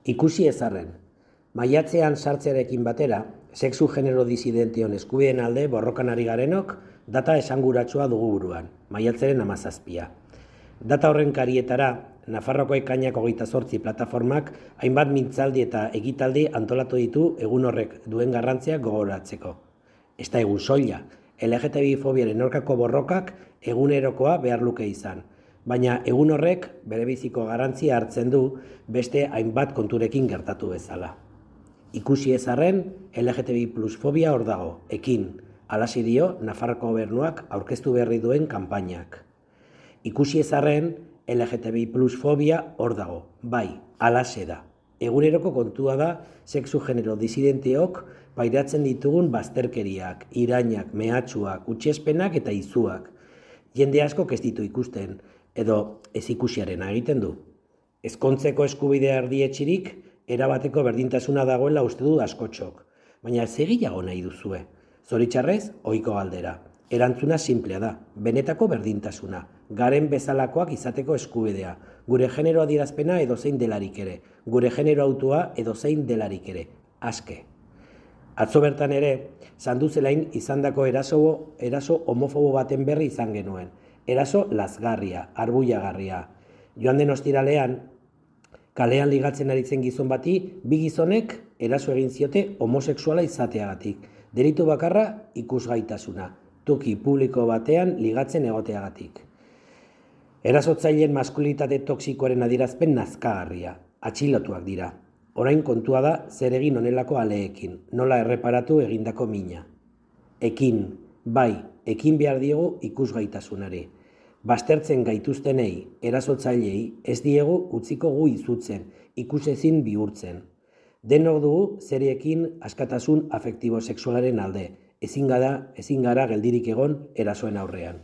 Ikusi ezarren, maiatzean sartzearekin batera, sexu genero disidention eskubideen alde borrokan ari garenok data esanguratsua dugu buruan, maiatzaren 17. Data horren karietara, Nafarroko ekainak 28 plataformak hainbat mintzaldi eta ekitaldi antolatu ditu egun horrek duen garrantzia gogoratzeko. Ez da egun soila, LGTBI-fobiaren aurkako borrokak egunerokoa behar luke izan, baina egun horrek berebiziko garrantzia hartzen du beste hainbat konturekin gertatu bezala. Ikusi ezarren, LGTBI+ fobia hor dago, ekin, halaxe dio Nafarroko gobernuak aurkeztu berri duen kanpainak. Ikusi ezarren, LGTBI+ fobia hor dago, bai, halaxe da. Eguneroko kontua da sexu genero disidenteok pairatzen ditugun bazterkeriak, irainak, mehatxuak, hutsespenak eta izuak. Jende askok ez ditu ikusten, edo ez ikusiarena egiten du. Ezkontzeko eskubidea erdietxirik, erabateko berdintasuna dagoela uste du askotxok. Baina segiago nahi duzue. Zoritxarrez, ohiko galdera. Erantzuna sinplea da, benetako berdintasuna, garen bezalakoak izateko eskubidea, gure genero adierazpena edozein delarik ere, gure genero autua edozein delarik ere, aske. Atzo bertan ere, Sanduzelain izandako eraso homofobo baten berri izan genuen, eraso lazgarria, arbuiagarria. Joan den ostiralean, kalean ligatzen aritzen gizon bati, bi gizonek eraso egin ziote homosexuala izateagatik, delitu bakarra ikusgaitasuna. Toki publiko batean ligatzen egoteagatik. Erasotzaileen maskulitate toksikoaren adierazpen nazkagarria, atxilotuak dira. Orain kontua da zer egin honelako aleekin, nola erreparatu egindako mina. Ekin, bai, ekin behar diegu ikusgaitasunari. Baztertzen gaituztenei, erasotzailei, ez diegu utziko gu izutzen, ikusezin bihurtzen. Denok dugu zeriekin askatasun afektibo sexualaren alde, ezin gara geldirik egon erasoen aurrean.